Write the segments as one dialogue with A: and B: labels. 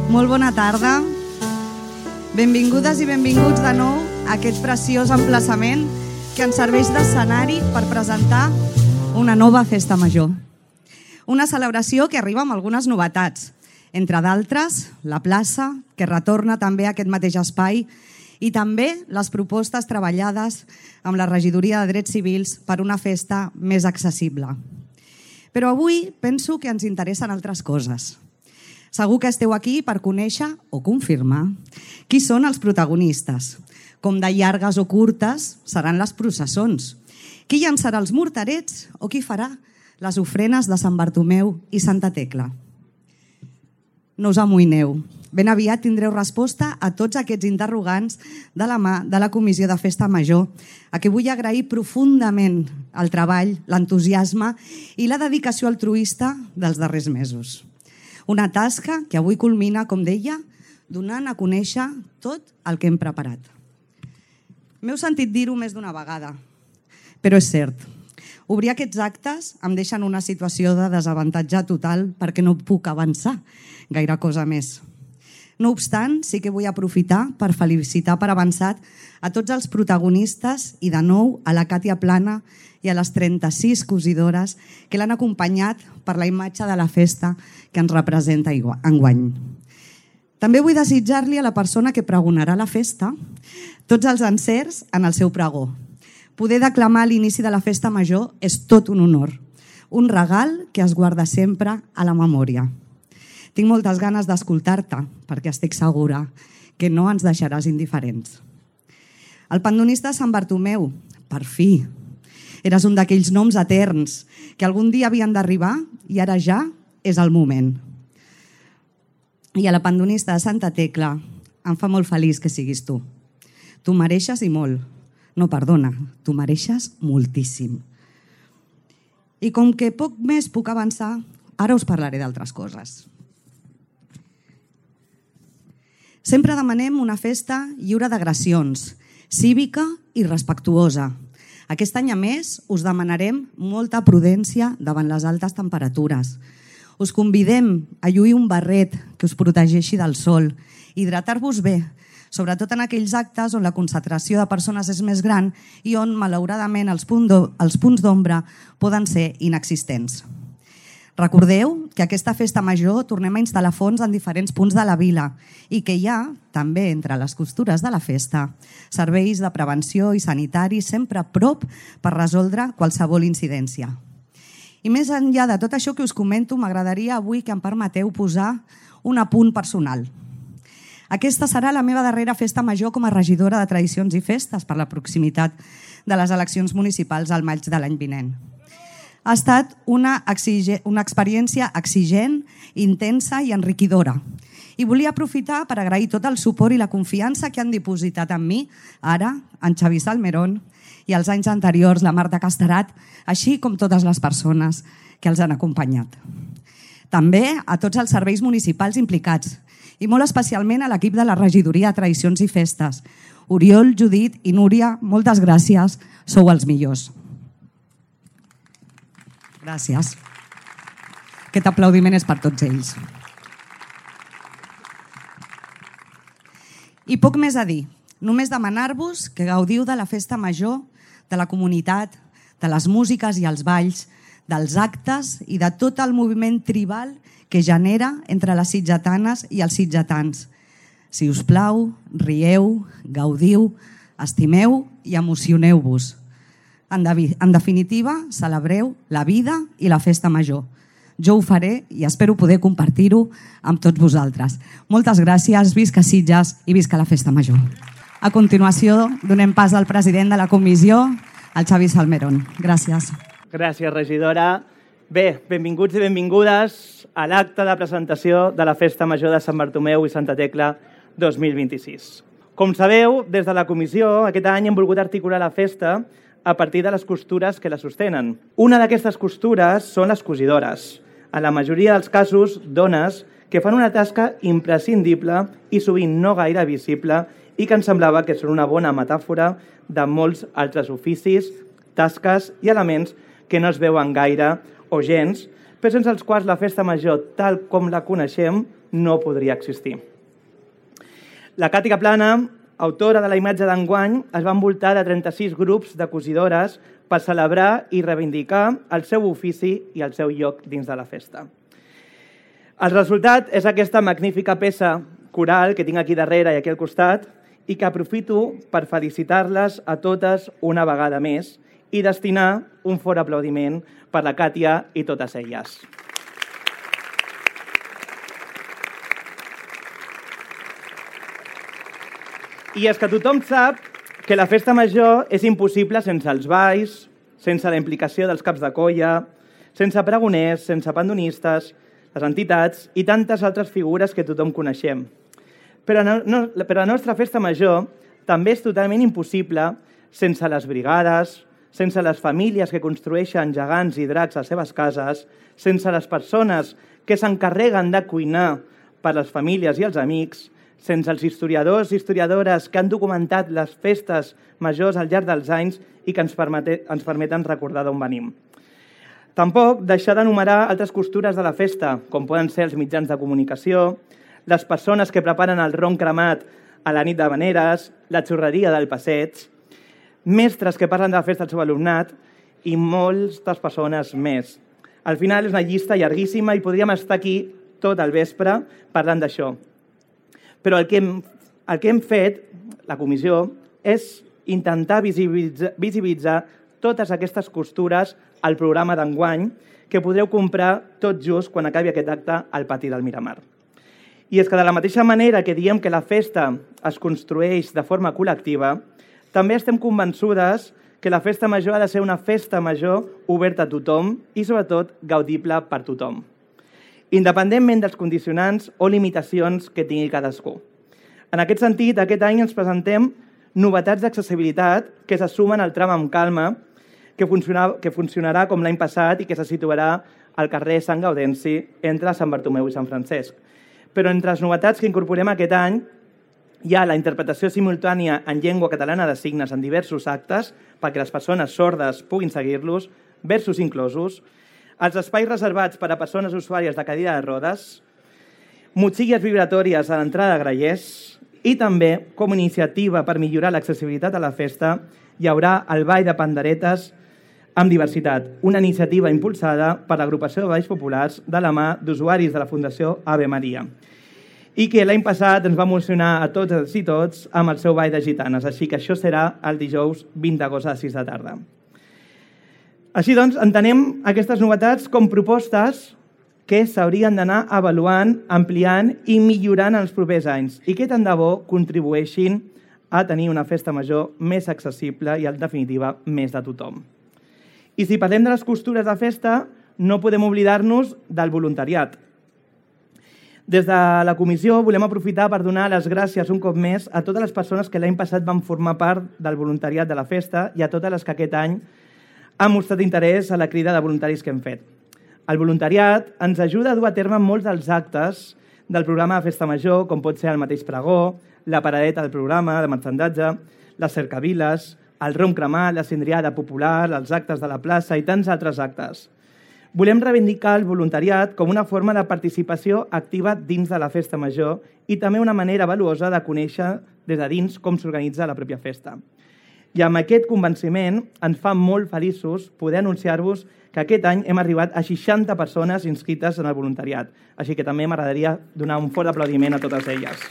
A: Molt bona tarda. Benvingudes i benvinguts de nou a aquest preciós emplaçament que ens serveix d'escenari per presentar una nova festa major. Una celebració que arriba amb algunes novetats, entre d'altres, la plaça, que retorna també a aquest mateix espai, i també les propostes treballades amb la Regidoria de Drets Civils per una festa més accessible. Però avui penso que ens interessen altres coses. Segur que esteu aquí per conèixer o confirmar qui són els protagonistes, com de llargues o curtes seran les processons, qui llançarà els morterets o qui farà les ofrenes de Sant Bartomeu i Santa Tecla. No us amoïneu, ben aviat tindreu resposta a tots aquests interrogants de la mà de la Comissió de Festa Major, a qui vull agrair profundament el treball, l'entusiasme i la dedicació altruista dels darrers mesos. Una tasca que avui culmina, com deia, donant a conèixer tot el que hem preparat. M'heu sentit dir-ho més d'una vegada, però és cert. Obrir aquests actes em deixa en una situació de desavantatge total perquè no puc avançar gaire cosa més. No obstant, sí que vull aprofitar per felicitar per avançat a tots els protagonistes i de nou a la Càtia Plana i a les 36 cosidores que l'han acompanyat per la imatge de la festa que ens representa enguany. També vull desitjar-li a la persona que pregonarà la festa tots els encerts en el seu pregó. Poder declamar a l'inici de la festa major és tot un honor, un regal que es guarda sempre a la memòria. Tinc moltes ganes d'escoltar-te, perquè estic segura que no ens deixaràs indiferents. El pandonista de Sant Bartomeu, per fi, eres un d'aquells noms eterns que algun dia havien d'arribar i ara ja és el moment. I a la pandonista de Santa Tecla em fa molt feliç que siguis tu. Tu mereixes i molt. No, perdona, tu mereixes moltíssim. I com que poc més puc avançar, ara us parlaré d'altres coses. Sempre demanem una festa lliure d'agressions, cívica i respectuosa. Aquest any, a més, us demanarem molta prudència davant les altes temperatures. Us convidem a lluir un barret que us protegeixi del sol, hidratar-vos bé, sobretot en aquells actes on la concentració de persones és més gran i on, malauradament, els punts d'ombra poden ser inexistents. Recordeu que aquesta festa major tornem a instal·lar fons en diferents punts de la vila i que hi ha, també entre les costures de la festa, serveis de prevenció i sanitaris sempre a prop per resoldre qualsevol incidència. I més enllà de tot això que us comento, m'agradaria avui que em permeteu posar un apunt personal. Aquesta serà la meva darrera festa major com a regidora de Tradicions i Festes per la proximitat de les eleccions municipals al maig de l'any vinent. Ha estat una experiència exigent, intensa i enriquidora. I volia aprofitar per agrair tot el suport i la confiança que han dipositat en mi, ara, en Xavi Salmerón, i els anys anteriors, la Marta Casterat, així com totes les persones que els han acompanyat. També a tots els serveis municipals implicats, i molt especialment a l'equip de la Regidoria de Tradicions i Festes. Oriol, Judit i Núria, moltes gràcies, sou els millors. Gràcies. Aquest aplaudiment és per tots ells. I poc més a dir. Només demanar-vos que gaudiu de la festa major, de la comunitat, de les músiques i els balls, dels actes i de tot el moviment tribal que genera entre les sitgetanes i els sitgetans. Si us plau, rieu, gaudiu, estimeu i emocioneu-vos. En definitiva, celebreu la vida i la festa major. Jo ho faré i espero poder compartir-ho amb tots vosaltres. Moltes gràcies, visca Sitges i visca la festa major. A continuació, donem pas al president de la comissió, el Xavi Salmerón. Gràcies.
B: Gràcies, regidora. Bé, benvinguts i benvingudes a l'acte de presentació de la Festa Major de Sant Bartomeu i Santa Tecla 2026. Com sabeu, des de la comissió, aquest any hem volgut articular la festa a partir de les costures que la sostenen. Una d'aquestes costures són les cosidores. En la majoria dels casos, dones que fan una tasca imprescindible i sovint no gaire visible i que ens semblava que són una bona metàfora de molts altres oficis, tasques i elements que no es veuen gaire o gens, però sense els quals la festa major, tal com la coneixem, no podria existir. La Càtia Plana, autora de la imatge d'enguany, es va envoltar de 36 grups de cosidores per celebrar i reivindicar el seu ofici i el seu lloc dins de la festa. El resultat és aquesta magnífica peça coral que tinc aquí darrere i aquí al costat i que aprofito per felicitar-les a totes una vegada més i destinar un fort aplaudiment per la Càtia i totes elles. I és que tothom sap que la festa major és impossible sense els balls, sense la implicació dels caps de colla, sense pregoners, sense pandonistes, les entitats i tantes altres figures que tothom coneixem. Però la nostra festa major també és totalment impossible sense les brigades, sense les famílies que construeixen gegants i dracs a les seves cases, sense les persones que s'encarreguen de cuinar per les famílies i els amics, sense els historiadors i historiadores que han documentat les festes majors al llarg dels anys i que ens permeten recordar d'on venim. Tampoc deixar d'enumerar altres costures de la festa, com poden ser els mitjans de comunicació, les persones que preparen el ron cremat a la nit de Veneres, la xurreria del passeig, mestres que parlen de la festa al seu alumnat i moltes persones més. Al final és una llista llarguíssima i podríem estar aquí tot el vespre parlant d'això. Però el que hem fet, la comissió, és intentar visibilitzar totes aquestes costures al programa d'enguany que podreu comprar tot just quan acabi aquest acte al pati del Miramar. I és que de la mateixa manera que diem que la festa es construeix de forma col·lectiva, també estem convençudes que la festa major ha de ser una festa major oberta a tothom i, sobretot, gaudible per tothom, independentment dels condicionants o limitacions que tingui cadascú. En aquest sentit, aquest any ens presentem novetats d'accessibilitat que se sumen al tram amb calma, que funcionarà com l'any passat i que se situarà al carrer Sant Gaudenci entre Sant Bartomeu i Sant Francesc. Però entre les novetats que incorporem aquest any hi ha la interpretació simultània en llengua catalana de signes en diversos actes perquè les persones sordes puguin seguir-los, versos inclosos, els espais reservats per a persones usuàries de cadira de rodes, motxilles vibratòries a l'entrada de grallers i també, com a iniciativa per millorar l'accessibilitat a la festa, hi haurà el ball de panderetes amb diversitat, una iniciativa impulsada per l'agrupació de balls populars de la mà d'usuaris de la Fundació Ave Maria i que l'any passat ens va emocionar a totes i tots amb el seu ball de gitanes, així que això serà el dijous 20 d'agost a les 6 de tarda. Així doncs, entenem aquestes novetats com propostes que s'haurien d'anar avaluant, ampliant i millorant en els propers anys i que tant de bo contribueixin a tenir una festa major més accessible i, en definitiva, més de tothom. I si parlem de les costures de festa, no podem oblidar-nos del voluntariat. Des de la comissió volem aprofitar per donar les gràcies un cop més a totes les persones que l'any passat van formar part del voluntariat de la festa i a totes les que aquest any han mostrat interès a la crida de voluntaris que hem fet. El voluntariat ens ajuda a dur a terme molts dels actes del programa de Festa Major, com pot ser el mateix pregó, la paradeta del programa de marxandatge, les cercaviles, el rom cremat, la cindriada popular, els actes de la plaça i tants altres actes. Volem reivindicar el voluntariat com una forma de participació activa dins de la festa major i també una manera valuosa de conèixer des de dins com s'organitza la pròpia festa. I amb aquest convenciment ens fa molt feliços poder anunciar-vos que aquest any hem arribat a 60 persones inscrites en el voluntariat. Així que també m'agradaria donar un fort aplaudiment a totes elles.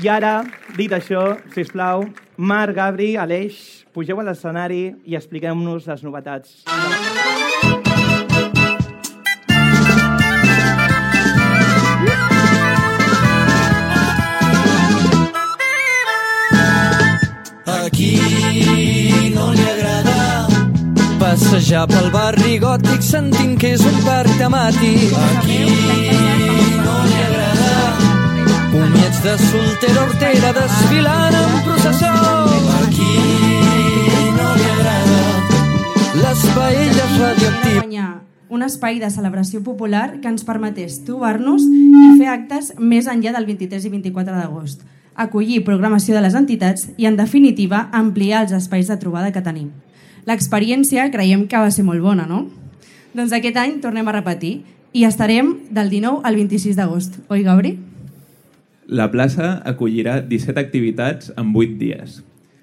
B: I ara, dit això, sisplau, Marc, Gabri, Aleix, pugeu a l'escenari i expliqueu-nos les novetats.
C: Aquí no li agrada passejar pel barri gòtic sentint que és un parc temàtic. Aquí no li agrada comiats de soltera hortera desfilant en processó. Aquí no li agrada les paelles radioactives.
D: Un espai de celebració popular que ens permetés trobar-nos i fer actes més enllà del 23 i 24 d'agost. acollir programació de les entitats i, en definitiva, ampliar els espais de trobada que tenim. L'experiència creiem que va ser molt bona, no? Doncs aquest any tornem a repetir i estarem del 19 al 26 d'agost. Oi, Gabri?
E: La plaça acollirà 17 activitats en 8 dies.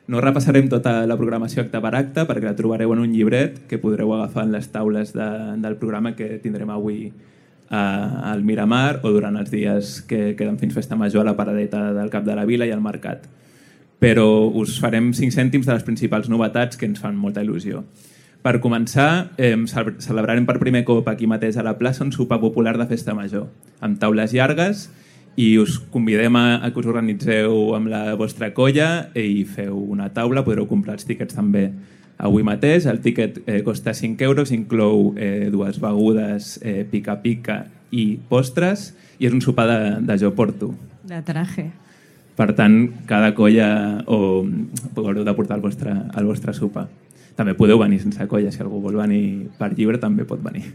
E: No repassarem tota la programació acte per acte perquè la trobareu en un llibret que podreu agafar en les taules del programa que tindrem avui al Miramar o durant els dies que queden fins Festa Major a la paradeta del Cap de la Vila i al Mercat. Però us farem 5 cèntims de les principals novetats que ens fan molta il·lusió. Per començar, celebrarem per primer cop aquí mateix a la plaça un sopar popular de Festa Major, amb taules llargues, i us convidem a que us organitzeu amb la vostra colla i feu una taula. Podreu comprar els tíquets també avui mateix. El tíquet costa 5 euros, inclou 2 begudes, pica-pica i postres, i és un sopar de jo porto.
D: De traje.
E: Per tant, cada colla haureu de portar el vostre sopar. També podeu venir sense colla, si algú vol venir per lliure també pot venir.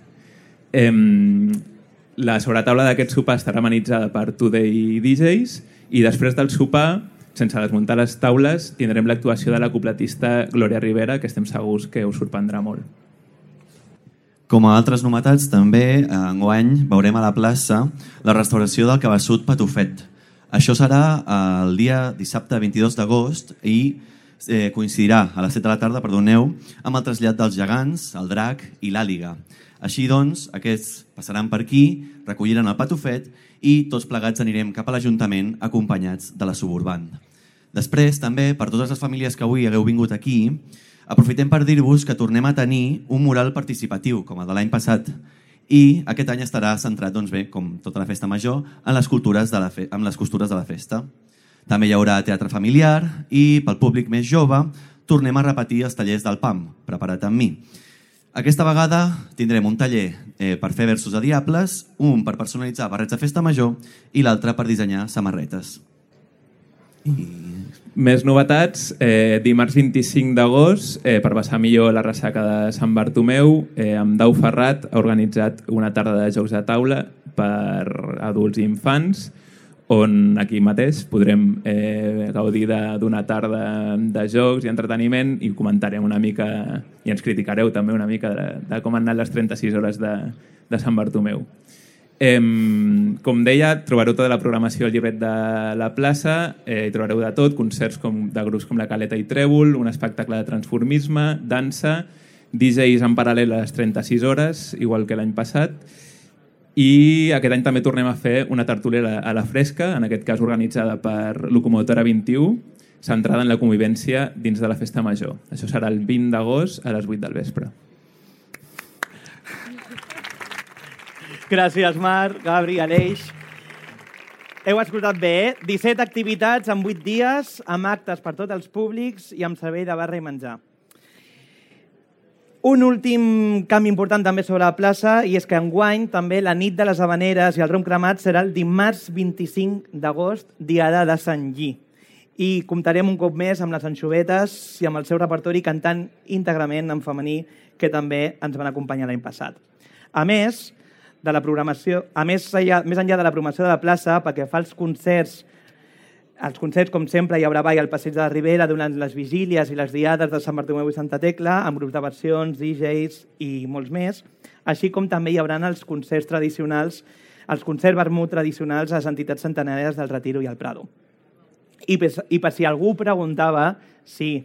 E: La sobretaula d'aquest sopar estarà amenitzada per Today DJs i després del sopar, sense desmuntar les taules, tindrem l'actuació de la cupletista Glòria Rivera, que estem segurs que us sorprendrà molt.
F: Com a altres novetats, també enguany veurem a la plaça la restauració del Cabeçut Patufet. Això serà el dia dissabte 22 d'agost i coincidirà a les 7 de la tarda, amb el trasllat dels gegants, el drac i l'àliga. Així doncs, aquests passaran per aquí, recolliran el patufet i tots plegats anirem cap a l'Ajuntament acompanyats de la Suburban. Després, també, per totes les famílies que avui hagueu vingut aquí, aprofitem per dir-vos que tornem a tenir un mural participatiu, com el de l'any passat, i aquest any estarà centrat, doncs bé, com tota la festa major, en les costures de la festa. També hi haurà teatre familiar i, pel públic més jove, tornem a repetir els tallers del PAM, preparat amb mi. Aquesta vegada tindrem un taller per fer versos de diables, un per personalitzar barrets de festa major i l'altre per dissenyar samarretes.
E: Més novetats. Dimarts 25 d'agost, per passar millor la ressaca de Sant Bartomeu, amb Dau Ferrat ha organitzat una tarda de jocs de taula per adults i infants, on aquí mateix podrem gaudir d'una tarda de jocs i entreteniment i comentarem una mica, i ens criticareu també una mica de com han anat les 36 hores de Sant Bartomeu. Com deia, trobareu tota la programació al llibret de la plaça, hi trobareu de tot, concerts de grups com la Caleta i Trèvol, un espectacle de transformisme, dansa, DJs en paral·lel a les 36 hores, igual que l'any passat, i aquest any també tornem a fer una tertúlia a la fresca, en aquest cas organitzada per Locomotora 21, centrada en la convivència dins de la festa major. Això serà el 20 d'agost a les 8 del vespre.
B: Gràcies, Marc, Gabri, Aleix. Heu escoltat bé, 17 activitats en 8 dies, amb actes per tots els públics i amb servei de barra i menjar. Un últim canvi important també sobre la plaça, i és que enguany també la nit de les Havaneres i el rom cremat serà el dimarts 25 d'agost, diada de Sant Lli. I comptarem un cop més amb les anxovetes i amb el seu repertori cantant íntegrament en femení, que també ens van acompanyar l'any passat. A més, de la programació, més enllà de la programació de la plaça, perquè fa els concerts, com sempre, hi haurà ball al Passeig de la Ribera durant les vigílies i les diades de Sant Bartomeu i Santa Tecla, amb grups de versions, DJs i molts més, així com també hi haurà els concerts tradicionals, els concerts vermut tradicionals a les entitats centenàries del Retiro i el Prado. I per si algú preguntava, sí,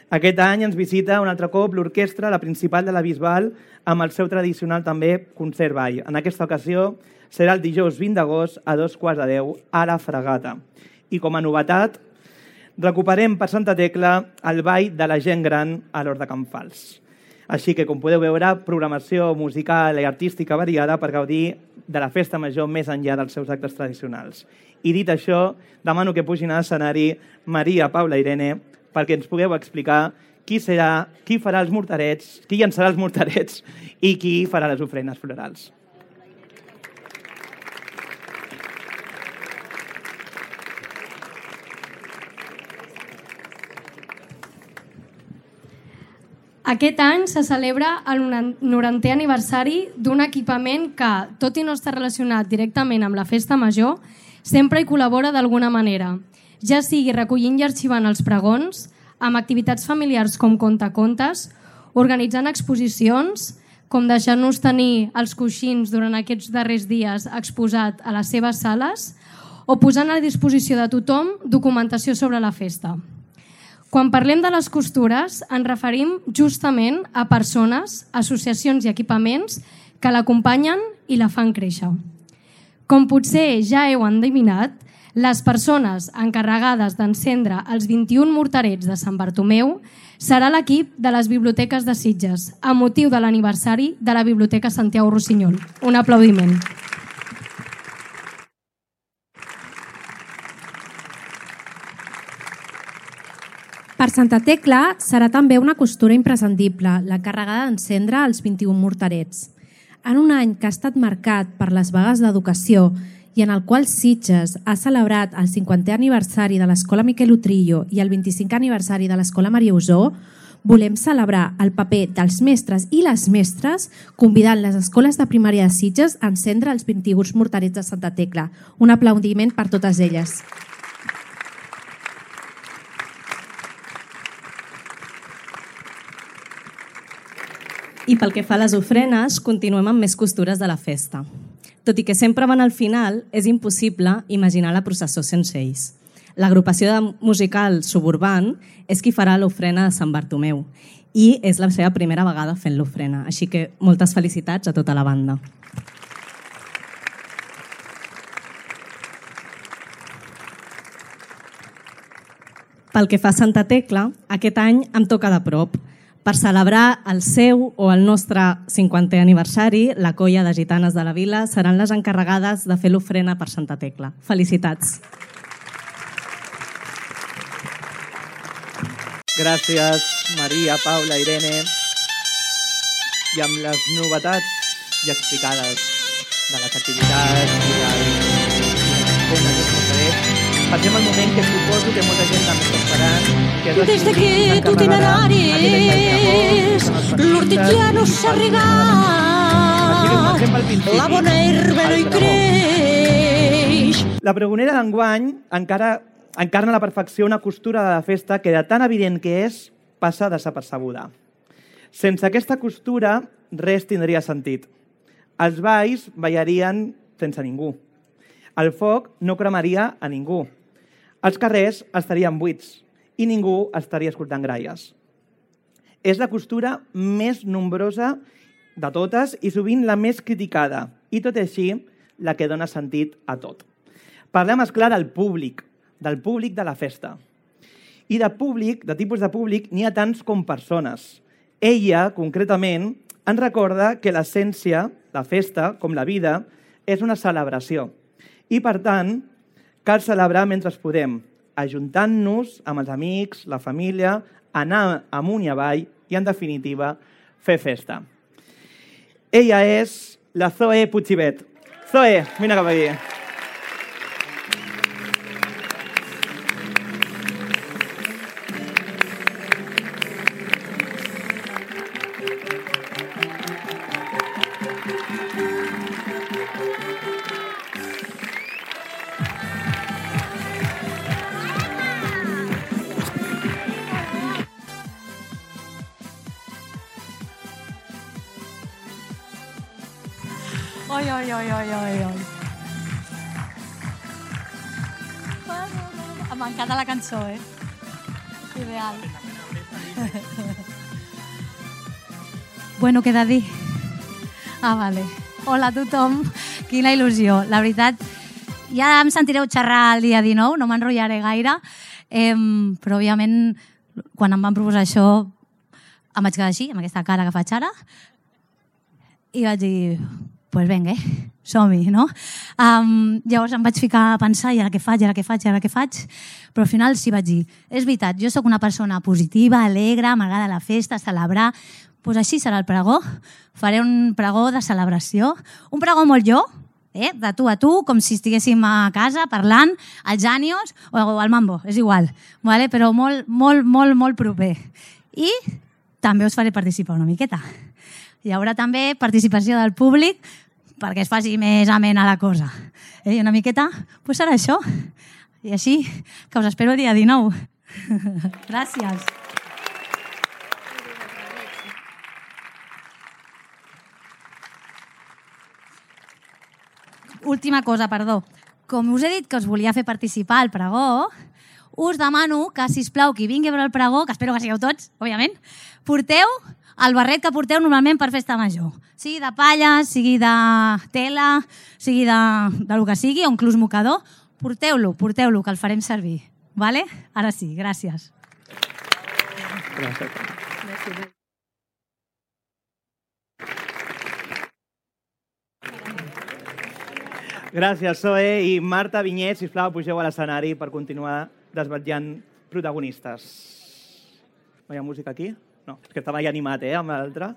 B: aquest any ens visita un altre cop l'orquestra, la principal de la Bisbal, amb el seu tradicional també concert ball. En aquesta ocasió serà el dijous 20 d'agost a 2:15 a la Fragata. I com a novetat, recuperem per Santa Tecla el ball de la gent gran a l'Hort de Can Fals. Així que, com podeu veure, programació musical i artística variada per gaudir de la festa major més enllà dels seus actes tradicionals. I dit això, demano que pugin a l'escenari Maria, Paula i Irene perquè ens pugueu explicar qui farà els morterets, qui llançarà els morterets i qui farà les ofrenes florals.
G: Aquest any se celebra el 90è aniversari d'un equipament que, tot i no estar relacionat directament amb la festa major, sempre hi col·labora d'alguna manera. ja sigui recollint i arxivant els pregons, amb activitats familiars com contacontes, organitzant exposicions, com deixar-nos tenir els coixins durant aquests darrers dies exposat a les seves sales, o posant a disposició de tothom documentació sobre la festa. Quan parlem de les costures, ens referim justament a persones, associacions i equipaments que l'acompanyen i la fan créixer. Com potser ja heu endevinat, les persones encarregades d'encendre els 21 morterets de Sant Bartomeu serà l'equip de les biblioteques de Sitges, a motiu de l'aniversari de la Biblioteca Santiago Rossinyol. Un aplaudiment.
H: Per Santa Tecla serà també una costura imprescindible, l'encarregada d'encendre els 21 morterets. En un any que ha estat marcat per les vagues d'educació i en el qual Sitges ha celebrat el 50è aniversari de l'Escola Miquel Utrillo i el 25è aniversari de l'Escola Maria Usó, volem celebrar el paper dels mestres i les mestres convidant les escoles de primària de Sitges a encendre els 21 morterets de Santa Tecla. Un aplaudiment per totes elles.
I: I pel que fa a les ofrenes, continuem amb més costures de la festa. Tot i que sempre van al final, és impossible imaginar la processó sense ells. L'agrupació musical Suburban és qui farà l'ofrena de Sant Bartomeu i és la seva primera vegada fent l'ofrena. Així que moltes felicitats a tota la banda. Pel que fa a Santa Tecla, aquest any em toca de prop. Per celebrar el seu o el nostre 50è aniversari, la colla de gitanes de la vila seran les encarregades de fer l'ofrena per Santa Tecla. Felicitats!
B: Gràcies, Maria, Paula, Irene. I amb les novetats ja explicades de les activitats i passem al moment que suposo que molta gent també està esperant.
J: Des d'aquest itineraris l'hortet no s'ha regat, la bona herba no hi creix.
B: La pregonera d'enguany encarna a la perfecció una costura de la festa que de tan evident que és, passa desapercebuda. Sense aquesta costura, res tindria sentit. Els balls ballarien sense ningú. El foc no cremaria a ningú. Els carrers estarien buits i ningú estaria escoltant gralles. És la costura més nombrosa de totes i sovint la més criticada, i tot així la que dona sentit a tot. Parlem, esclar, del públic de la festa. I de tipus de públic, n'hi ha tants com persones. Ella, concretament, ens recorda que l'essència, la festa, com la vida, és una celebració. I, per tant, cal celebrar mentre podem, ajuntant-nos amb els amics, la família, anar amunt i avall i, en definitiva, fer festa. Ella és la Zoe Puigibet. Zoe, vine cap aquí.
J: Oi. M'encanta la cançó, Ideal.
K: Bueno, què he de dir? Vale. Hola a tothom, quina il·lusió. La veritat, ja em sentireu xerrar el dia 19, no m'enrotllaré gaire, però òbviament quan em van proposar això em vaig quedar així, amb aquesta cara que faig ara, i vaig dir, pues venga, som-hi, no? Llavors em vaig ficar a pensar, i ara què faig? Però al final sí vaig dir, és veritat, jo sóc una persona positiva, alegre, m'agrada la festa, celebrar, doncs així serà el pregó. Faré un pregó de celebració, un pregó molt jo, de tu a tu, com si estiguéssim a casa parlant, als ànios o al mambo, és igual, però molt proper. I també us faré participar una miqueta. Hi haurà també participació del públic perquè es faci més amena la cosa. I una miqueta, doncs serà això. I així que us espero el dia 19. Gràcies. Última cosa, perdó. Com us he dit que us volia fer participar al pregó, us demano que, sisplau, qui vingui a veure el pregó, que espero que sigueu tots, òbviament, porteu el barret que porteu normalment per festa major. Sigui de palla, sigui de tela, sigui de lo que sigui, o inclús mocador, porteu-lo, que el farem servir. Vale? Ara sí, gràcies.
B: Gràcies. Gràcies, Zoe. I Marta Vinyet, sisplau, pugeu a l'escenari per continuar desvetllant protagonistes. No hi ha música aquí? No, és que estava ja animat, amb l'altre.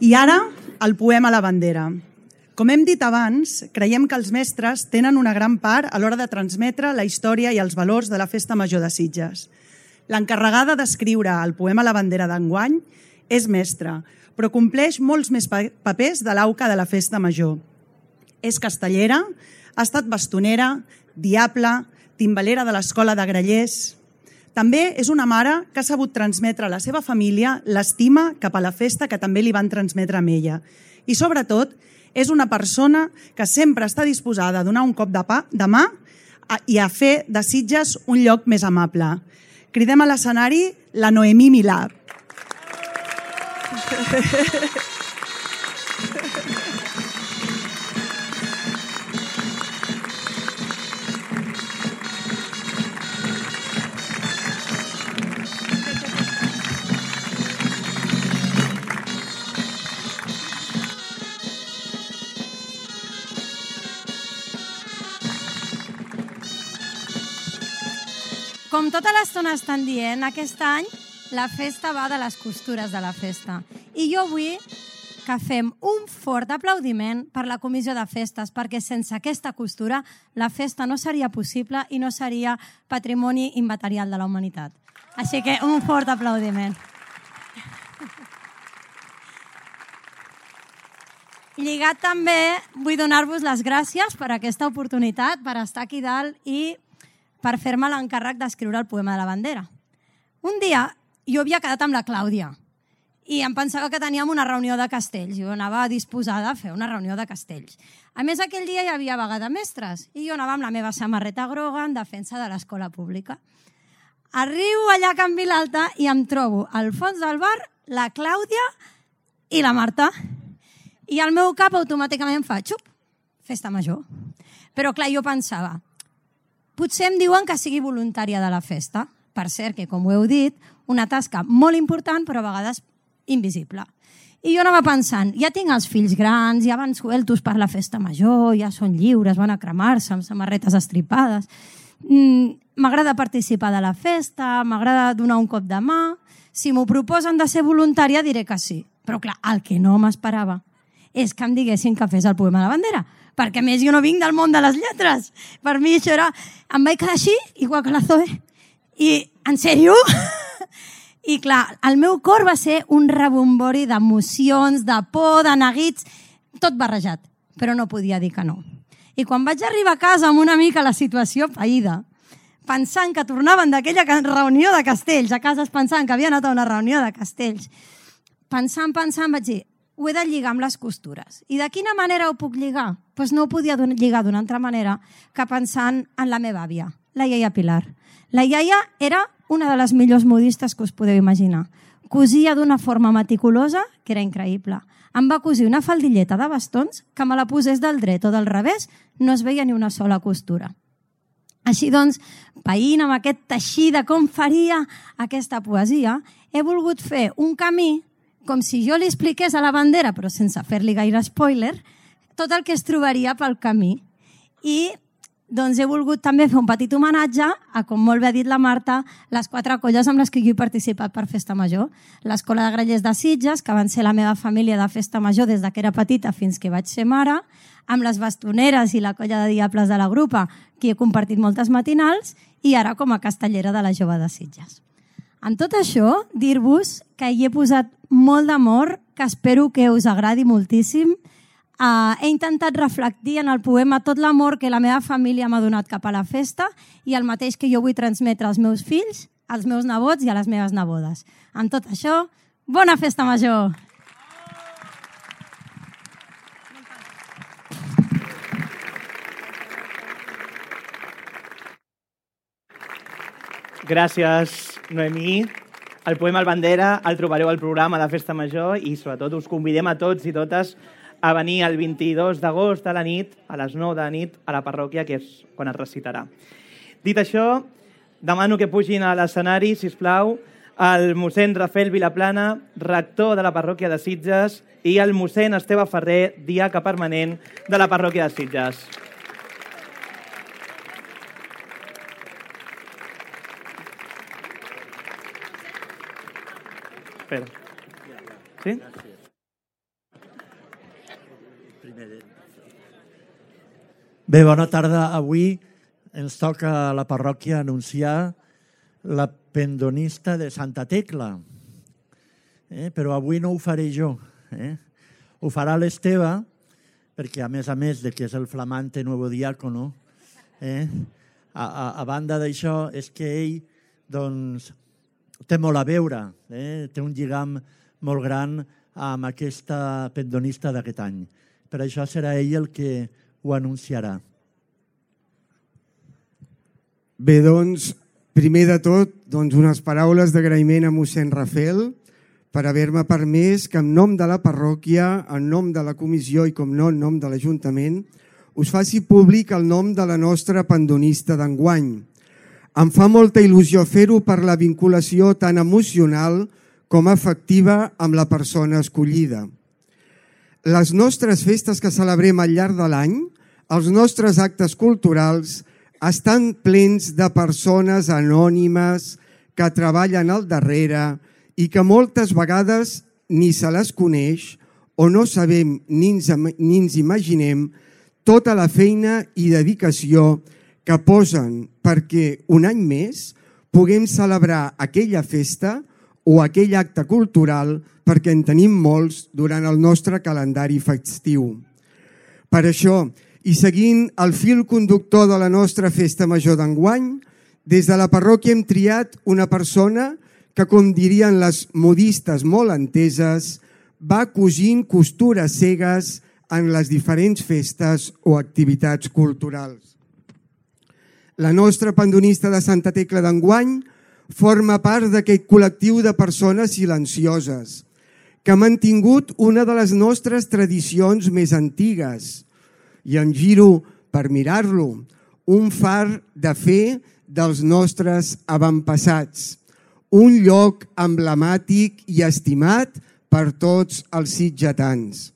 L: I ara, el poema La bandera. Com hem dit abans, creiem que els mestres tenen una gran part a l'hora de transmetre la història i els valors de la Festa Major de Sitges. L'encarregada d'escriure el poema La bandera d'enguany és mestra, però compleix molts més papers de l'auca de la Festa Major. És castellera, ha estat bastonera, diable, timbalera de l'escola de Grallers. També és una mare que ha sabut transmetre a la seva família l'estima cap a la festa que també li van transmetre amb ella. I sobretot, és una persona que sempre està disposada a donar un cop de mà i a fer de Sitges un lloc més amable. Cridem a l'escenari la Noemí Milà.
M: Com tota l'estona estan dient, aquest any la festa va de les costures de la festa. I jo vull que fem un fort aplaudiment per la comissió de festes, perquè sense aquesta costura la festa no seria possible i no seria patrimoni immaterial de la humanitat. Així que un fort aplaudiment. Lligat també, vull donar-vos les gràcies per aquesta oportunitat, per estar aquí dalt i per fer-me l'encàrrec d'escriure el poema de la bandera. Un dia jo havia quedat amb la Clàudia i em pensava que teníem una reunió de castells. Jo anava disposada a fer una reunió de castells. A més, aquell dia hi havia vaga de mestres i jo anava amb la meva samarreta groga en defensa de l'escola pública. Arribo allà a Can Vilalta i em trobo al fons del bar la Clàudia i la Marta. I al meu cap automàticament fa xup, festa major. Però clar, jo pensava, potser em diuen que sigui voluntària de la festa. Per cert, que com ho heu dit, una tasca molt important, però a vegades invisible. I jo anava pensant, ja tinc els fills grans, ja van sueltos per la festa major, ja són lliures, van a cremar-se amb samarretes estripades. M'agrada participar de la festa, m'agrada donar un cop de mà. Si m'ho proposen de ser voluntària, diré que sí. Però clar, el que no m'esperava és que em diguessin que fes el poema de la bandera, perquè a més jo no vinc del món de les lletres. Per mi això era... Em vaig quedar així, igual que la Zoe. I, en sèrio? I clar, el meu cor va ser un rebombori d'emocions, de por, de neguits, tot barrejat, però no podia dir que no. I quan vaig arribar a casa amb una mica la situació païda, pensant que tornaven d'aquella reunió de castells, a casa pensant que havia anat a una reunió de castells, pensant, vaig dir, ho he de lligar amb les costures. I de quina manera ho puc lligar? Doncs no ho podia lligar d'una altra manera que pensant en la meva àvia, la iaia Pilar. La iaia era una de les millors modistes que us podeu imaginar. Cosia d'una forma meticulosa que era increïble. Em va cosir una faldilleta de bastons que me la posés del dret o del revés, no es veia ni una sola costura. Així doncs, veient amb aquest teixir de com faria aquesta poesia, he volgut fer un camí com si jo li expliqués a la bandera, però sense fer-li gaire spoiler, tot el que es trobaria pel camí. I doncs he volgut també fer un petit homenatge a, com molt bé ha dit la Marta, les 4 colles amb les que jo he participat per Festa Major. L'Escola de Grallers de Sitges, que van ser la meva família de Festa Major des que era petita fins que vaig ser mare, amb les bastoneres i la colla de diables de la grupa, que he compartit moltes matinals, i ara com a castellera de la Jove de Sitges. Amb tot això, dir-vos que hi he posat molt d'amor, que espero que us agradi moltíssim. he intentat reflectir en el poema tot l'amor que la meva família m'ha donat cap a la festa i el mateix que jo vull transmetre als meus fills, als meus nebots i a les meves nebodes. Amb tot això, bona festa major!
B: Gràcies, Noemí. El poema El Bandera el trobareu al programa de Festa Major i sobretot us convidem a tots i totes a venir el 22 d'agost a la nit, a les 9 de la nit, a la parròquia, que és quan es recitarà. Dit això, demano que pugin a l'escenari, sisplau, el mossèn Rafael Vilaplana, rector de la parròquia de Sitges, i el mossèn Esteve Ferrer, diaca permanent de la parròquia de Sitges. Espera. Sí?
N: Bé, bona tarda. Avui ens toca a la parròquia anunciar la pendonista de Santa Tecla. Però avui no ho faré jo. Ho farà l'Esteve, perquè a més de que és el flamante nuevo diácono, a banda d'això és que ell doncs, té molt a veure, té un lligam molt gran amb aquesta pendonista d'aquest any. Per això serà ell el que ho anunciarà.
O: Bé, doncs, primer de tot, unes paraules d'agraïment a mossèn Rafael per haver-me permès que en nom de la parròquia, en nom de la comissió i, com no, en nom de l'Ajuntament, us faci públic el nom de la nostra pendonista d'enguany. Em fa molta il·lusió fer-ho per la vinculació tan emocional com afectiva amb la persona escollida. Les nostres festes que celebrem al llarg de l'any, els nostres actes culturals, estan plens de persones anònimes que treballen al darrere i que moltes vegades ni se les coneix o no sabem ni ens imaginem tota la feina i dedicació que posen perquè un any més puguem celebrar aquella festa o aquell acte cultural perquè en tenim molts durant el nostre calendari festiu. Per això, i seguint el fil conductor de la nostra festa major d'enguany, des de la parròquia hem triat una persona que, com dirien les modistes molt enteses, va cosint costures cegues en les diferents festes o activitats culturals. La nostra pendonista de Santa Tecla d'enguany forma part d'aquest col·lectiu de persones silencioses que ha mantingut una de les nostres tradicions més antigues. I em giro per mirar-lo, un far de fe dels nostres avantpassats, un lloc emblemàtic i estimat per tots els sitgetans.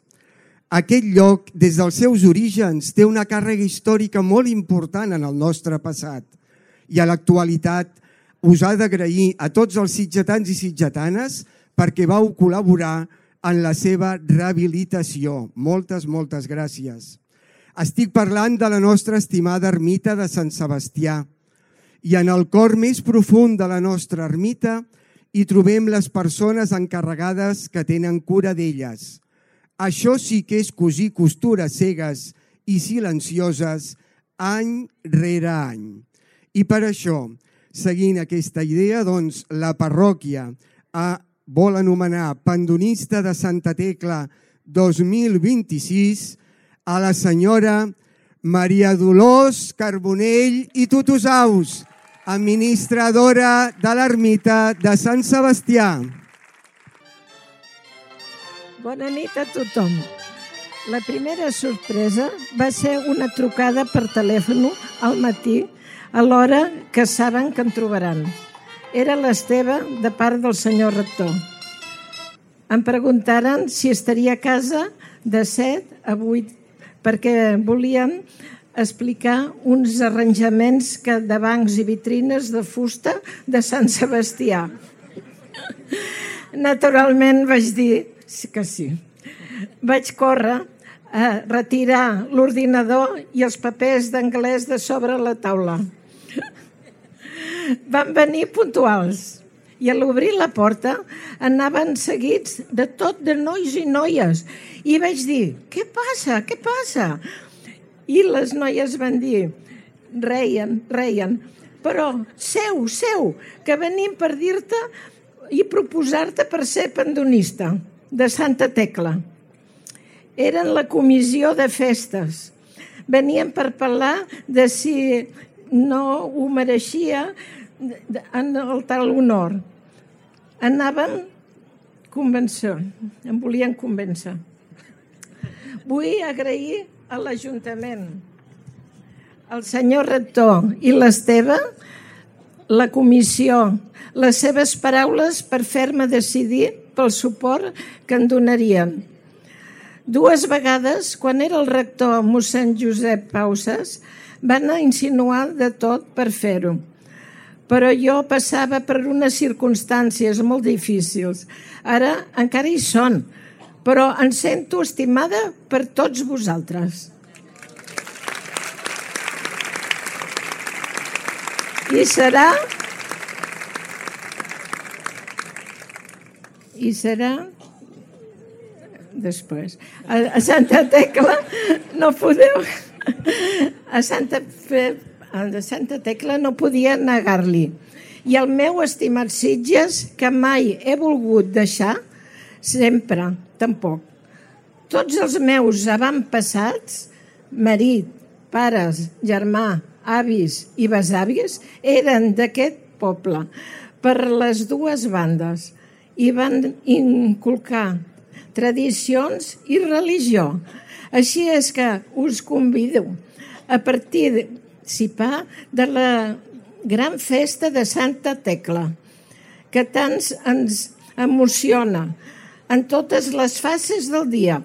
O: Aquest lloc, des dels seus orígens, té una càrrega històrica molt important en el nostre passat i a l'actualitat us ha d'agrair a tots els sitgetans i sitgetanes perquè vau col·laborar en la seva rehabilitació. Moltes, moltes gràcies. Estic parlant de la nostra estimada ermita de Sant Sebastià i en el cor més profund de la nostra ermita hi trobem les persones encarregades que tenen cura d'elles. Això sí que és cosir costures cegues i silencioses any rere any. I per això, seguint aquesta idea, la parròquia vol anomenar pendonista de Santa Tecla 2026 a la senyora Maria Dolors Carbonell i Tutusaus, administradora de l'ermita de Sant Sebastià.
P: Bona nit a tothom. La primera sorpresa va ser una trucada per telèfon al matí a l'hora que saben que em trobaran. Era l'Esteve de part del senyor rector. Em preguntaren si estaria a casa de 7 a 8 perquè volien explicar uns arranjaments de bancs i vitrines de fusta de Sant Sebastià. Naturalment vaig dir que sí. Vaig córrer a retirar l'ordinador i els papers d'anglès de sobre la taula. Van venir puntuals I a l'obrir la porta anaven seguits de tot de nois i noies. I vaig dir, què passa, què passa? I les noies van dir, reien, però seu, que venim per dir-te i proposar-te per ser pendonista de Santa Tecla. Eren la comissió de festes. Venien per parlar de si no ho mereixia en el tal honor. Anaven em volien convèncer. Vull agrair a l'Ajuntament, al senyor rector i l'Esteve, la comissió, les seves paraules per fer-me decidir pel suport que em donarien. 2 vegades, quan era el rector mossèn Josep Pausas, van insinuar de tot per fer-ho. Però jo passava per unes circumstàncies molt difícils. Ara encara hi són, però em sento estimada per tots vosaltres. I serà després. A Santa Tecla no podeu... A Santa Tecla no podia negar-li. I el meu estimat Sitges, que mai he volgut deixar, sempre, tampoc. Tots els meus avantpassats, marit, pares, germà, avis i besàvies, eren d'aquest poble, per les 2 bandes, i van inculcar tradicions i religió. Així és que us convido a participar de la gran festa de Santa Tecla, que tant ens emociona en totes les fases del dia.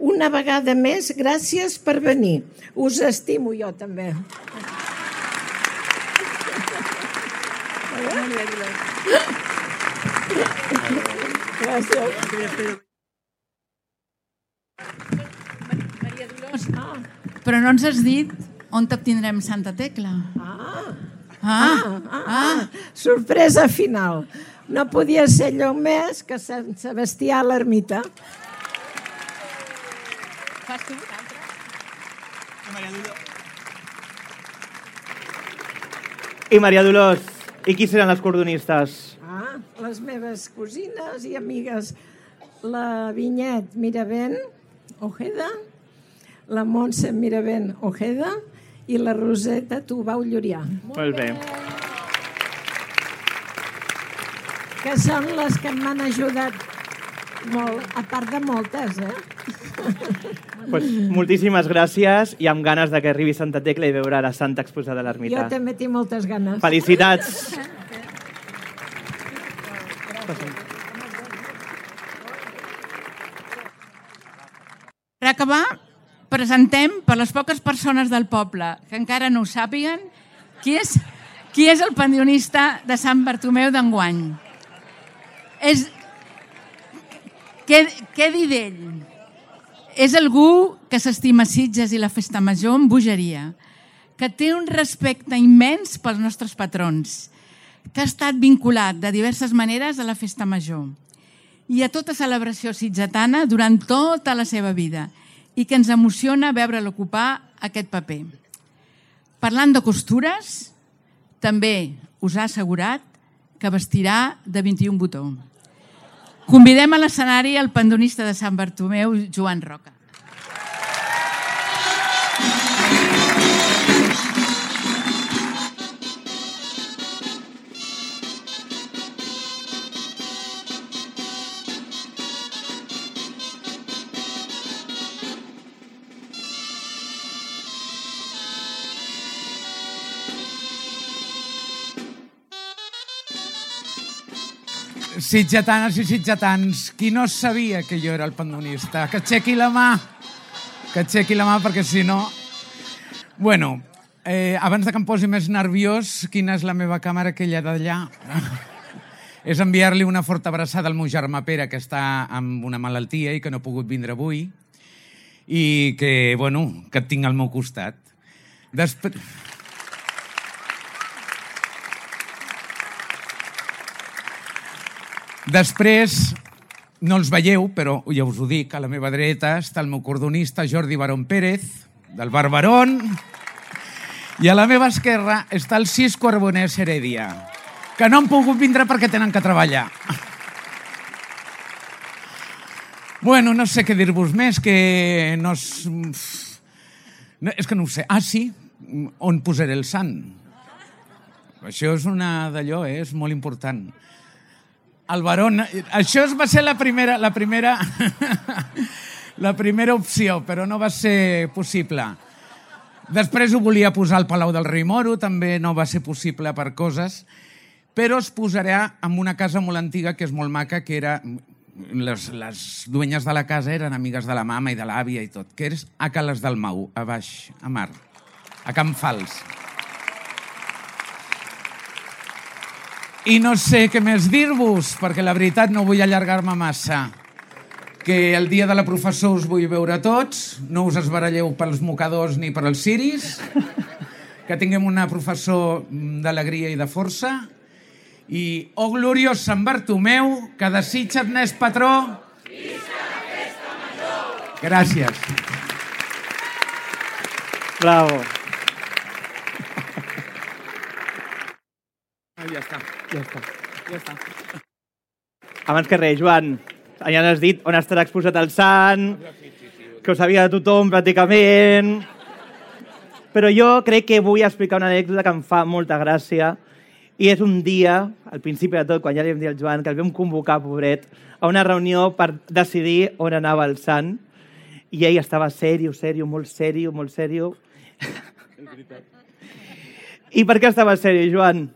P: Una vegada més, gràcies per venir. Us estimo jo també. Gràcies.
Q: Però no ens has dit on t'obtindrem Santa Tecla.
P: Sorpresa final. No podia ser lloc més que Sant Sebastià a l'ermita.
Q: Fas tu un altre?
B: I Maria Dolors, i qui seran les cordonistes?
P: Les meves cosines i amigues. La Vinyet Miravent Ojeda, la Montse Miravent Ojeda i la Roseta Tubau Llurià.
B: Molt bé.
P: Que són les que m'han ajudat molt, a part de moltes,
B: Pues, moltíssimes gràcies i amb ganes de que arribi Santa Tecla i veure la Santa exposada a l'ermita.
P: Jo també tinc moltes ganes.
B: Felicitats!
Q: Per acabar, presentem per les poques persones del poble que encara no ho sàpiguen qui és el pendonista de Sant Bartomeu d'enguany. Què dir d'ell? És algú que s'estima Sitges i la Festa Major amb bogeria, que té un respecte immens pels nostres patrons, que ha estat vinculat de diverses maneres a la Festa Major i a tota celebració sitgetana durant tota la seva vida i que ens emociona veure'l ocupar aquest paper. Parlant de costures, també us ha assegurat que vestirà de 21 botó. Convidem a l'escenari el pendonista de Sant Bartomeu, Joan Roca.
R: Sitgetanes i sitgetans, qui no sabia que jo era el pendonista? Que aixequi la mà. Que aixequi la mà, perquè si no... Bueno, abans de que em posi més nerviós, quina és la meva càmera, aquella d'allà? És enviar-li una forta abraçada al meu germà Pere, que està amb una malaltia i que no ha pogut vindre avui, i que, bueno, que et tinc al meu costat. Després, no els veieu, però ja us ho dic, a la meva dreta està el meu cordonista Jordi Barón Pérez, del Bar Barón, i a la meva esquerra està el Cisco Arbonès Heredia, que no han pogut vindre perquè tenen que treballar. Bueno, no sé què dir-vos més, que no és... És que no ho sé. Ah, sí, on posaré el sant? Això és una d'allò, és molt important. El Barón... Això va ser la primera opció, però no va ser possible. Després ho volia posar al Palau del Rei Moro, també no va ser possible per coses, però es posarà en una casa molt antiga que és molt maca, que era... Les duenyes de la casa eren amigues de la mama i de l'àvia i tot, que és a Cales del Mau, a baix, a mar, a Can Fals. I no sé què més dir-vos, perquè la veritat no vull allargar-me massa. Que el dia de la professor us vull veure tots, no us esbaralleu pels mocadors ni per als ciris, que tinguem una professor d'alegria i de força, i, oh gloriós Sant Bartomeu, que desitja't n'és patró. Visca la festa major! Gràcies.
B: Bravo. Ja està. Abans que res, Joan, ja has dit on estarà exposat el sant, que ho sabia de tothom pràcticament, però jo crec que vull explicar una anècdota que em fa molta gràcia. I és un dia, al principi de tot, quan ja li vam dir al Joan, que el vam convocar, pobret, a una reunió per decidir on anava el sant. I ell estava molt serio. I per què estava serio, Joan?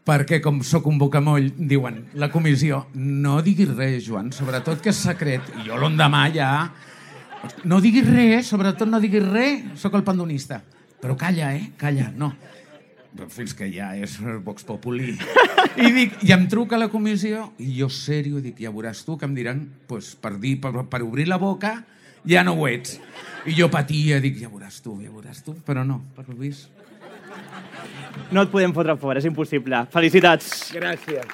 R: Perquè, com soc un bocamoll, diuen, la comissió, no diguis res, Joan, sobretot que és secret. I jo l'endemà ja... No diguis res, sobretot no diguis res, soc el pandonista. Però calla, calla, no. Fins que ja és Vox Populi. I em truca la comissió i jo serio dic, ja veuràs tu que em diran per obrir la boca ja no ho ets. I jo patia, dic, ja veuràs tu, però no, per lo vist.
B: No et podem fotre fora, és impossible. Felicitats.
R: Gràcies.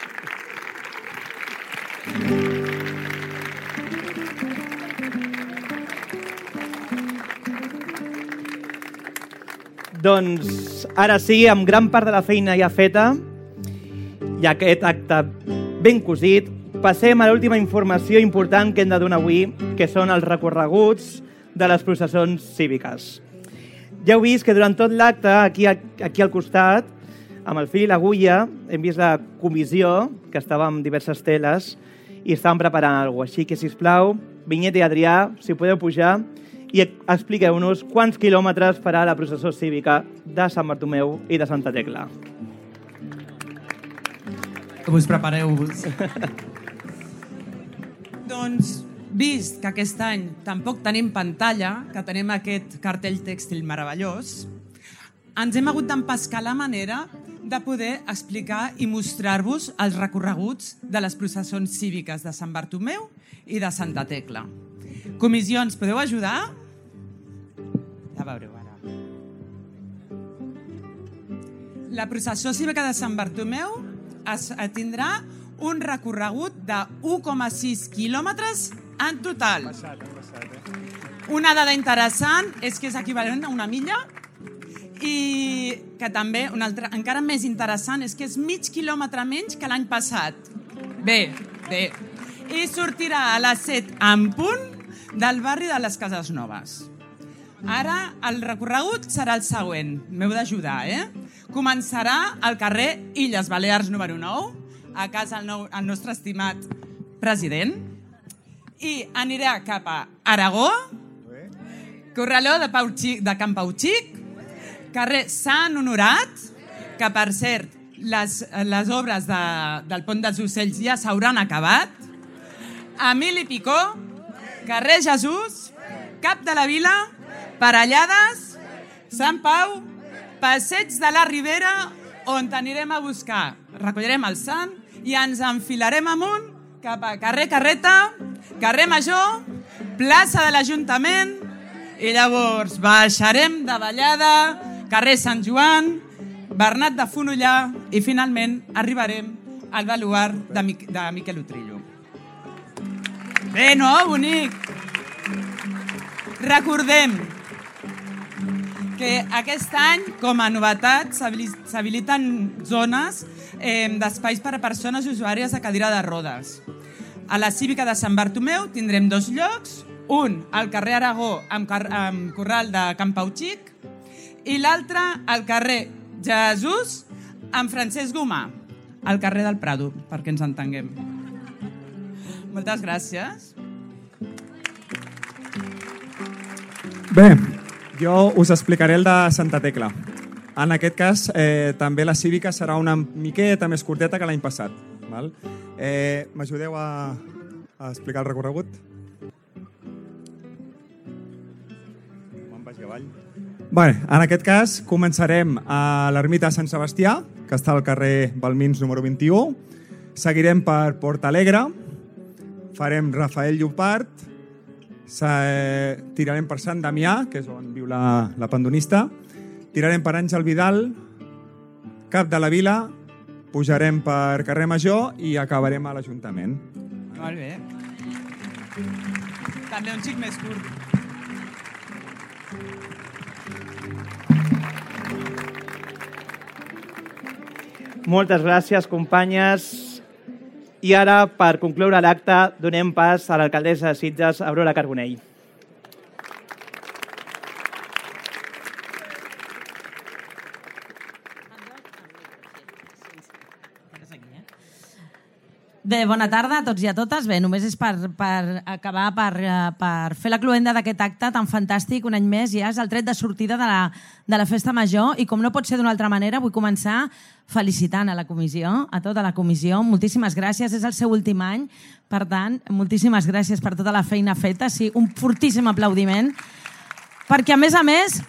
B: Doncs ara sí, amb gran part de la feina ja feta i aquest acte ben cosit, passem a l'última informació important que hem de donar avui, que són els recorreguts de les processons cíviques. Ja heu vist que durant tot l'acte, aquí al costat, amb el fil i l'agulla, hem vist la comissió, que estava amb diverses teles, i estàvem preparant alguna cosa. Així que, sisplau, Vinyeta i Adrià, si podeu pujar, i expliqueu-nos quants quilòmetres farà la processó cívica de Sant Bartomeu i de Santa Tecla.
S: Us prepareu-vos.
T: Doncs, vist que aquest any tampoc tenim pantalla, que tenim aquest cartell tèxtil meravellós, ens hem hagut d'empescar la manera de poder explicar i mostrar-vos els recorreguts de les processons cíviques de Sant Bartomeu i de Santa Tecla. Comissions, podeu ajudar? Ja veureu ara. La processó cívica de Sant Bartomeu tindrà un recorregut de 1,6 quilòmetres en total. Una dada interessant és que és equivalent a una milla i que també, una altra, encara més interessant, és que és mig quilòmetre menys que l'any passat. Bé. I sortirà a les 7 en punt del barri de les Cases Noves. Ara el recorregut serà el següent. M'heu d'ajudar, Començarà al carrer Illes Balears número 9, a casa el nostre estimat president, i anirà cap a Aragó, corraló de Can Pau Xic, carrer Sant Honorat, que per cert les obres del Pont dels Ocells ja s'hauran acabat, Emili Picó, carrer Jesús, Cap de la Vila, Parellades, Sant Pau, Passeig de la Ribera, on anirem a buscar. Recollirem el sant i ens enfilarem amunt cap a carrer Carreta, carrer Major, plaça de l'Ajuntament, i llavors baixarem de Vallada, carrer Sant Joan, Bernat de Fonollar, i finalment arribarem al baluart de Miquel Utrillo. Bé, no? Bonic! Recordem que aquest any, com a novetat, s'habiliten zones d'espais per a persones usuàries de cadira de rodes. A la Cívica de Sant Bartomeu tindrem 2 llocs, un al carrer Aragó amb corral de Can Pau Xic i l'altre al carrer Jesús amb Francesc Gomà, al carrer del Prado, perquè ens entenguem. Moltes gràcies.
U: Bé, jo us explicaré el de Santa Tecla. En aquest cas, també la cívica serà una miqueta més curteta que l'any passat. M'ajudeu a explicar el recorregut? Me'n vagi avall. Bé, en aquest cas començarem a l'ermita de Sant Sebastià, que està al carrer Balmins número 21. Seguirem per Port Alegre, farem Rafael Llopart, tirarem per Sant Damià, que és on viu la pandonista, tirarem per Àngel Vidal, Cap de la Vila, pujarem per Carrer Major i acabarem a l'Ajuntament.
T: Molt bé. També un xic més curt.
B: Moltes gràcies, companyes. I ara, per concloure l'acte, donem pas a l'alcaldessa de Sitges, Aurora Carbonell.
V: Bé, bona tarda a tots i a totes. Bé, només és per acabar, per fer la cloenda d'aquest acte tan fantàstic, un any més, ja és el tret de sortida de la Festa Major i com no pot ser d'una altra manera, vull començar felicitant a la comissió, a tota la comissió. Moltíssimes gràcies, és el seu últim any, per tant, moltíssimes gràcies per tota la feina feta. Sí, un fortíssim aplaudiment, perquè a més,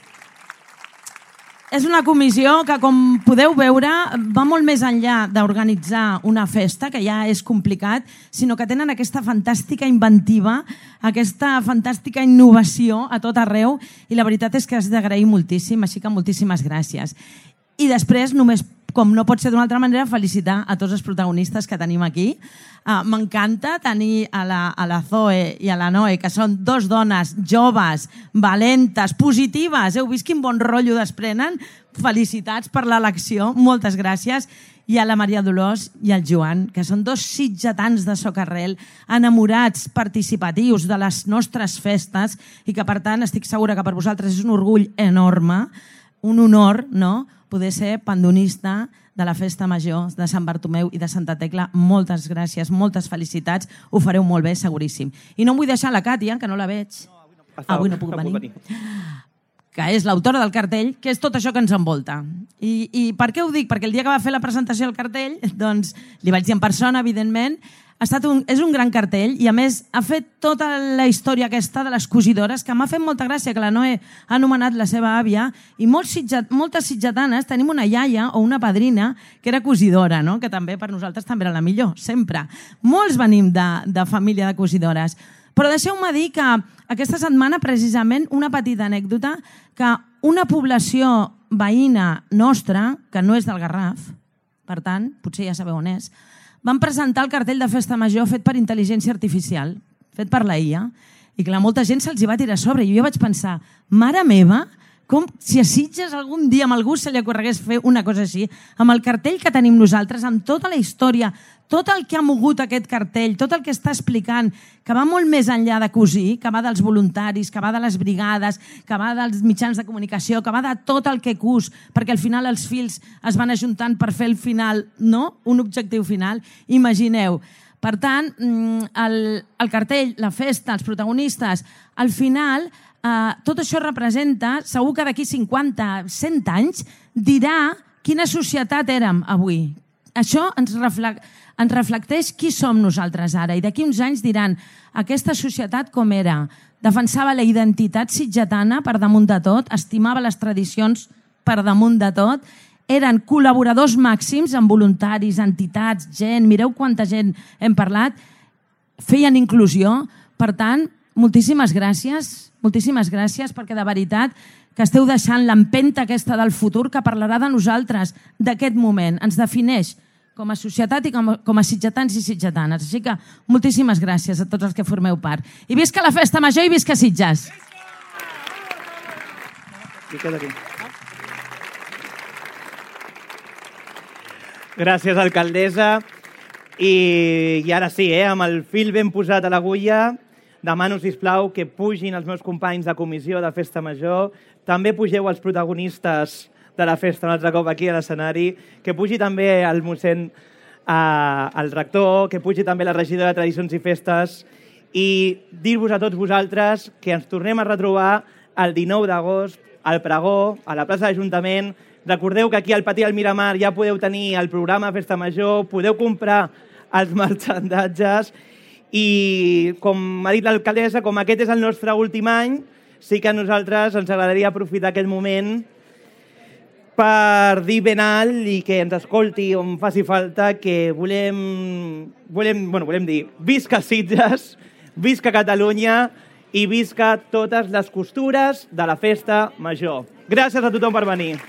V: és una comissió que, com podeu veure, va molt més enllà d'organitzar una festa, que ja és complicat, sinó que tenen aquesta fantàstica inventiva, aquesta fantàstica innovació a tot arreu, i la veritat és que has d'agrair moltíssim, així que moltíssimes gràcies. I després, només, com no pot ser d'una altra manera, felicitar a tots els protagonistes que tenim aquí. M'encanta tenir a la Zoe i a la Noe, que són 2 dones joves, valentes, positives. Heu vist quin bon rotllo desprenen? Felicitats per l'elecció, moltes gràcies. I a la Maria Dolors i al Joan, que són 2 sitgetans de Socarrel, enamorats, participatius de les nostres festes i que, per tant, estic segura que per vosaltres és un orgull enorme, un honor, no?, poder ser pandonista de la Festa Major de Sant Bartomeu i de Santa Tecla. Moltes gràcies, moltes felicitats. Ho fareu molt bé, seguríssim. I no em vull deixar la Càtia, que no la veig. Avui no puc venir. Que és l'autora del cartell, que és tot això que ens envolta. I per què ho dic? Perquè el dia que va fer la presentació del cartell, doncs li vaig dir en persona, evidentment, és un gran cartell i, a més, ha fet tota la història aquesta de les cosidores, que m'ha fet molta gràcia que la Noe ha anomenat la seva àvia, i moltes sitgetanes tenim una iaia o una padrina que era cosidora, no? Que també per nosaltres també era la millor, sempre. Molts venim de família de cosidores. Però deixeu-me dir que aquesta setmana, precisament, una petita anècdota, que una població veïna nostra, que no és del Garraf, per tant, potser ja sabeu on és, van presentar el cartell de Festa Major fet per intel·ligència artificial, fet per la IA, i clar, molta gent se'ls hi va tirar a sobre. I jo vaig pensar, mare meva, com si a Sitges algun dia amb algú se li ocorregués fer una cosa així, amb el cartell que tenim nosaltres, amb tota la història, tot el que ha mogut aquest cartell, tot el que està explicant, que va molt més enllà de cosir, que va dels voluntaris, que va de les brigades, que va dels mitjans de comunicació, que va de tot el que cus, perquè al final els fils es van ajuntant per fer el final, no? Un objectiu final. Imagineu. Per tant, el cartell, la festa, els protagonistes, al final, tot això representa, segur que d'aquí 50, 100 anys, dirà quina societat érem avui. Això ens reflecteix qui som nosaltres ara. I d'aquí uns anys diran aquesta societat com era. Defensava la identitat sitgetana per damunt de tot, estimava les tradicions per damunt de tot, eren col·laboradors màxims amb voluntaris, entitats, gent, mireu quanta gent hem parlat, feien inclusió. Per tant, moltíssimes gràcies perquè de veritat que esteu deixant l'empenta aquesta del futur que parlarà de nosaltres, d'aquest moment. Ens defineix com a societat i com a sitgetans i sitgetanes. Així que moltíssimes gràcies a tots els que formeu part. I visca la Festa Major i visca Sitges!
B: Gràcies, alcaldessa. I ara sí, amb el fil ben posat a l'agulla, demano, sisplau, que pugin els meus companys de comissió de Festa Major. També pugeu els protagonistes de la festa un altre cop aquí a l'escenari, que pugi també el mossèn, el rector, que pugi també la regidora de Tradicions i Festes, i dir-vos a tots vosaltres que ens tornem a retrobar el 19 d'agost al pregó, a la plaça de l'Ajuntament. Recordeu que aquí al Patí del Miramar ja podeu tenir el programa Festa Major, podeu comprar els marxandatges i, com ha dit l'alcaldessa, com aquest és el nostre últim any, sí que a nosaltres ens agradaria aprofitar aquest moment per dir ben alt i que ens escolti on faci falta que volem dir visca Sitges, visca Catalunya i visca totes les costures de la Festa Major. Gràcies a tothom per venir.